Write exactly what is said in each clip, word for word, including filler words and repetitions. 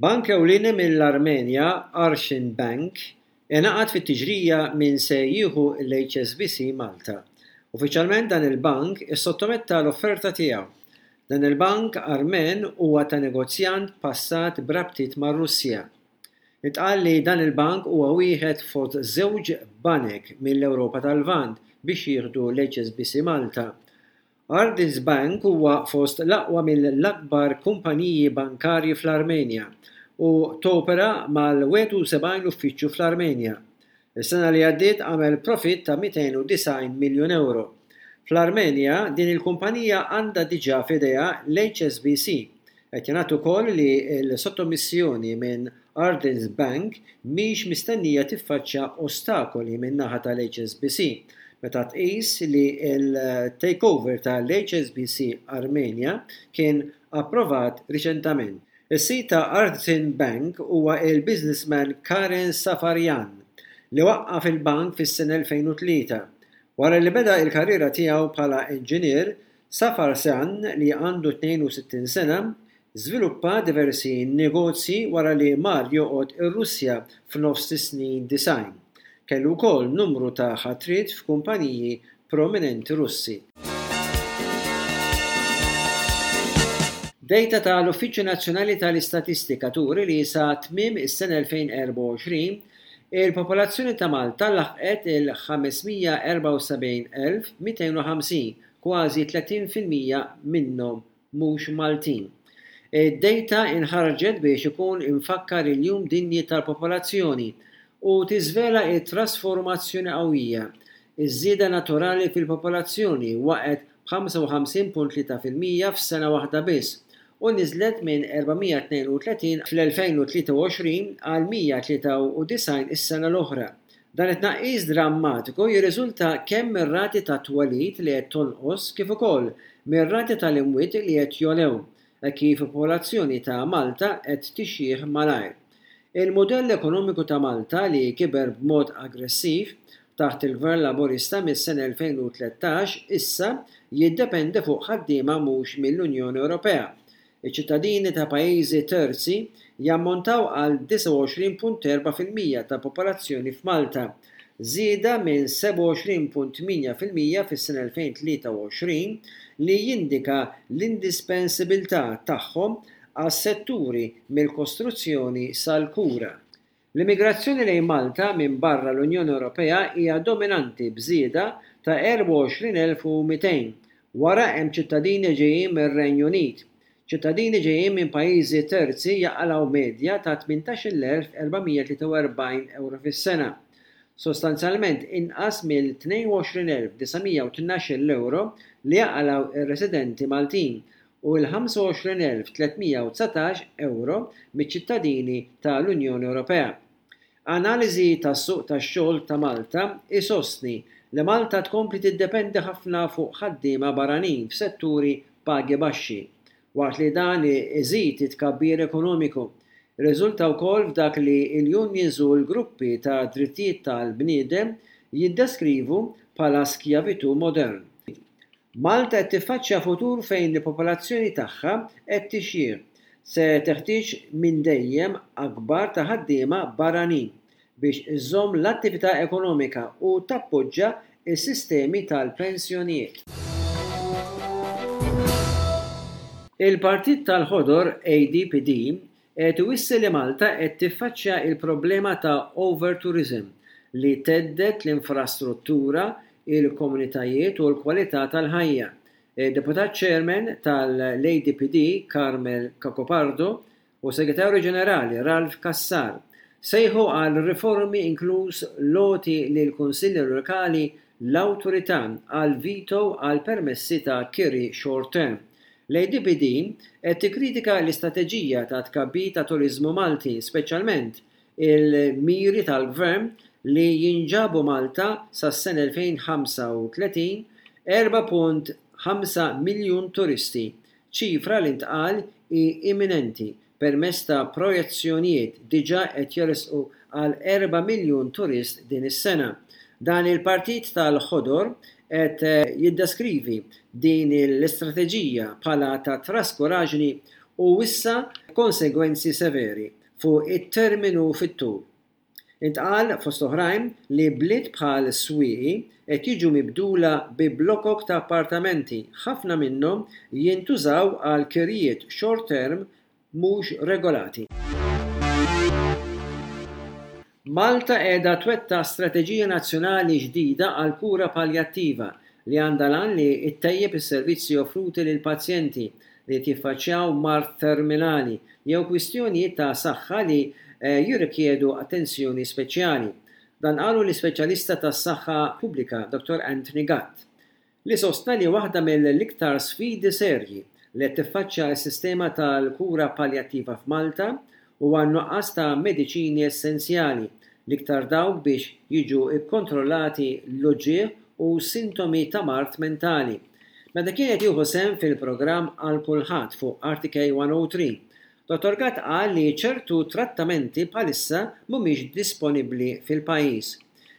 Bank ewlieni mill-Armenja, Ardshin Bank, ingħaqad fit-tiġrija min se jieħu l-H S B C Malta. Uffiċjalment dan il-bank issottometta l-offerta tiegħu. Dan il-bank Armen huwa ta' negozjant passat b'rabtiet mar-Russja. Intqal li dan il-bank huwa wieħed fost żewġ banek mill-Ewropa tal-Lvant biex jieħdu l-H S B C Malta. Ardshin Bank huwa fost l-aqwa mill-akbar kumpaniji bankarji fl-Armenja u topera mal-wieħed u sebgħin uffiċċju fl-Armenja. Is-sena li għaddiet għamel profitt ta' mitejn u disgħin miljun euro. Fl-Armenja din il-kumpanija għandha diġà f'idejha l-H S B C. Qed jingħad ukoll li l-sottomissjoni minn Ardshin Bank mhix mistennija tiffaċċja ostakoli min-naħa tal-H S B C meta tqis li l-takeover tal-H S B C Armenia kien approvat riċentament. Is-sid ta' Ardshin Bank huwa il-businessman Karen Safaryan li waqqaf il-bank fis-sena elfejn u tlieta. Wara li beda il-karriera tiegħu bħala inġinier, Safaryan, li għandu tnejn u sittin sena, żviluppa diversi negozji wara li mar joqgħod ir-Russja f'nofs is-snin disgħin. Kellu wkoll numru ta' ħatriet f'kumpaniji prominenti Russi. Dejta tal-Uffiċċju Nazzjonali tal-Istatistika turi li sa tmiem is-sena elfejn u erbgħa u għoxrin il-popolazzjoni ta' Malta laħqet il-ħames mija u erbgħa u sebgħin elf mitejn u ħamsin, kważi tletin fil-mija minnhom mhux Maltin. Id-dejta inħarġet biex ikun imfakkar il-Jum Dinji tal-Popolazzjoni u tiżvela t-trasformazzjoni qawwija. Iż-żieda naturali fil-popolazzjoni waqgħet b'ħamsa u ħamsin punt tlieta fil-mija f'sena waħda biss u niżlet minn erba' mija tnejn u tletin fl-elfejn u tlieta u għoxrin għal mija tlieta u disgħin is-sena l-oħra. Dan it-tnaqqis drammatiku jirriżulta kemm mir-rati ta' twelid li qed tonqos kif ukoll mir-rati tal-imwiet li qed jogħlew, hekk kif il-popolazzjoni ta' Malta qed tixjih malajr. Il-mudell ekonomiku ta' Malta, li kiber b'mod aggressiv taħt il-Gvern Laburista mis-sena elfejn u tlettax, issa jiddependi fuq ħaddiema mhux mill-Unjoni Ewropea. Iċ-ċittadini ta' pajjiżi terzi jammontaw għal disgħa u għoxrin punt erbgħa fil-mija tal-popolazzjoni f'Malta, żieda minn sebgħa u għoxrin punt tmienja fil-mija fis-sena elfejn u tlieta u għoxrin, li jindika l-indispensabilità tagħhom għas-setturi mill-kostruzzjoni sal-kura. L-immigrazzjoni lejn Malta minn barra l-Unjoni Ewropea hija dominanti b'żieda ta' erbgħa u għoxrin elf u mitejn. Wara hemm ċittadini ġejjin mir-Renju Unit. Ċittadini ġejjin minn pajjiżi terzi jaqalgħu medja ta' tmintax-il elf erba' mija tlieta u erbgħin euro fis-sena, sostanzjalment inqas mill-tnejn u għoxrin elf disa' mija u tnax-il euro li jaqalgħu ir-residenti Maltin u l-ħamsa u għoxrin elf tliet mija u dsatax euro miċ-ċittadini tal-Unjoni Ewropea. Analiżi tas-suq tax-xogħol ta' Malta isostni li Malta tkompli tiddependi ħafna fuq ħaddiema barranin f'setturi pagi baxxi, waqt li dan iżid it-tkabbir ekonomiku. Riżulta wkoll f'dak li l-unions u l-gruppi ta' drittijiet tal-bniedem jiddeskrivu bħala skjavitu modern. Malta qed tiffaċċja futur fejn il-popolazzjoni tagħha qed tixjih se teħtieġ minn dejjem akbar ta' ħaddiema barranin biex iżżomm l-attività ekonomika u tappoġġa s-sistemi tal-pensjonijiet. Il-Partit tal-Ħodor A D P D qed iwissi li Malta qed tiffaċċja il-problema ta' overtourism li thedded l-infrastruttura, il-komunitajiet u l-kwalità tal-ħajja. Il-Deputat Chairman tal-A D P D Carmel Cacopardo u Segretarju Ġenerali Ralph Cassar sejħu għal riformi, inkluż l-għoti lil kunsilli lokali l-awtorità għal veto għal permessi ta' kiri short term. L-A D P D qed tikkritika l-istrateġija ta' tkabbir ta' turiżmu Malti, speċjalment il-miri tal-gvern li jinġabu Malta sas-sena elfejn u ħamsa u tletin erbgħa punt ħamsa miljun turisti, ċifra li ntqal hi imminenti permezz ta' projezzjonijiet diġà qed jersqu għal erba' miljun turist din is-sena. Dan il-Partit tal-Ħodor qed jiddeskrivi din l-istrateġija bħala ta' traskuraġni u wissa konsegwenzi severi fuq it-terminu fit-tul. Intqal fost oħrajn li bliet bħal Swieqi qed jiġu mibdula bi blokok ta' appartamenti, ħafna minnhom jintużaw għal kirjiet short term mhux regolati. Malta qiegħda twettaq strateġija nazzjonali ġdida għal kura paljattiva li għandha l-għan li ttejjeb is-servizzi offruti lil pazjenti li qed jiffaċċjaw mard terminali jew kwistjonijiet ta' saħħa li eh, jirrikjedu attenzjoni speċjali. Dan qalu l-ispeċjalista tas-saħħa pubblika Dottor Anthony Gatt, li sostna li waħda mill-iktar sfidi serji li qed tiffaċċja s-sistema tal-kura paljattiva f'Malta huwa n-nuqqas ta' mediċini essenzjali, l-iktar dawk biex jiġu kkontrollati l-uġigħ u sintomi ta' mard mentali. Meta kien qed jieħu sehem fil-programm Għal Kulħadd fuq R T K one oh three, Dottor Gatt qal li ċertu trattamenti bħalissa mhumiex disponibbli fil-pajjiż.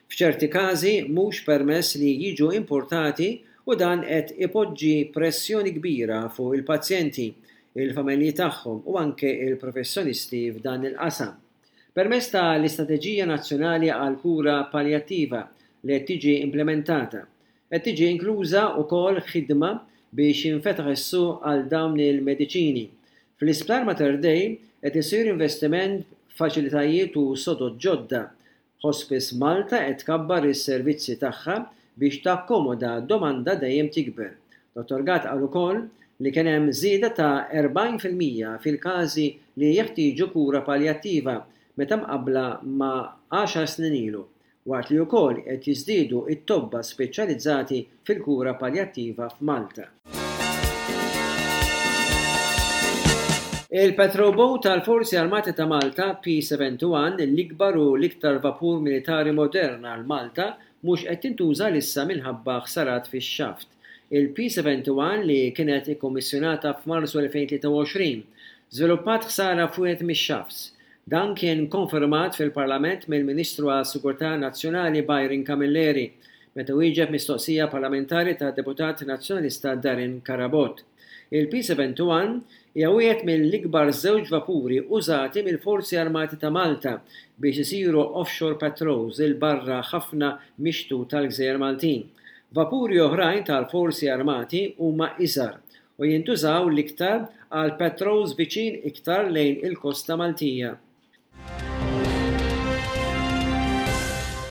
F'ċerti każi mhux permess li jiġu importati u dan qed ipoġġi pressjoni kbira fuq il-pazjenti, il-familji tagħhom u anke il-professjonisti f'dan il-qasam. Permezz ta' l-Istrateġija Nazzjonali għal Kura Paljattiva li qed tiġi implementata, qed tiġi inkluża wkoll ħidma biex jinfetaħ is-suq għal dawn il-mediċini. Fl-Isptar Mater Dei qed isir investiment f'faċilitajiet u sodod ġodda. Hospice Malta qed tkabbar is-servizzi tagħha biex takkomoda domanda dejjem tikber. Dottor Gatt qal ukoll li kien hemm żieda ta' erbgħin fil-mija fil-każi li jeħtieġu kura paljattiva meta mqabbla ma' għaxar snin ilu, waqt li wkoll qed jiżdiedu it-tobba speċjalizzati fil-kura paljattiva f'Malta. Il-Patrol Boat tal-Forzi Armati ta' Malta P seventy-one, l-ikbar u l-iktar vapur militari modern għal Malta, mhux qed tintuża issa minħabba ħsarat fix-xaft. Il-P seventy-one, li kienet ikkommissjonata f'Marzu elfejn tlieta u għoxrin, żviluppat ħsara f'wieħed mix-shafts. Dan kien konfermat fil-Parlament mill-Ministru għas-Sigurtà Nazzjonali Byron Camilleri meta wieġeb mistoqsija parlamentari ta' deputat nazzjonalista Darren Carabott. Il-P seventy-one hija wieħed mill-ikbar żewġ vapuri użati mill-Forzi Armati ta' Malta biex isiru offshore patrols 'il barra ħafna mix-xtut tal-Gżejjer Maltin. Vapuri oħrajn tal-Forzi Armati huma iżgħar u jintużaw l-iktar għal patrols viċin iktar lejn il-kosta Maltija.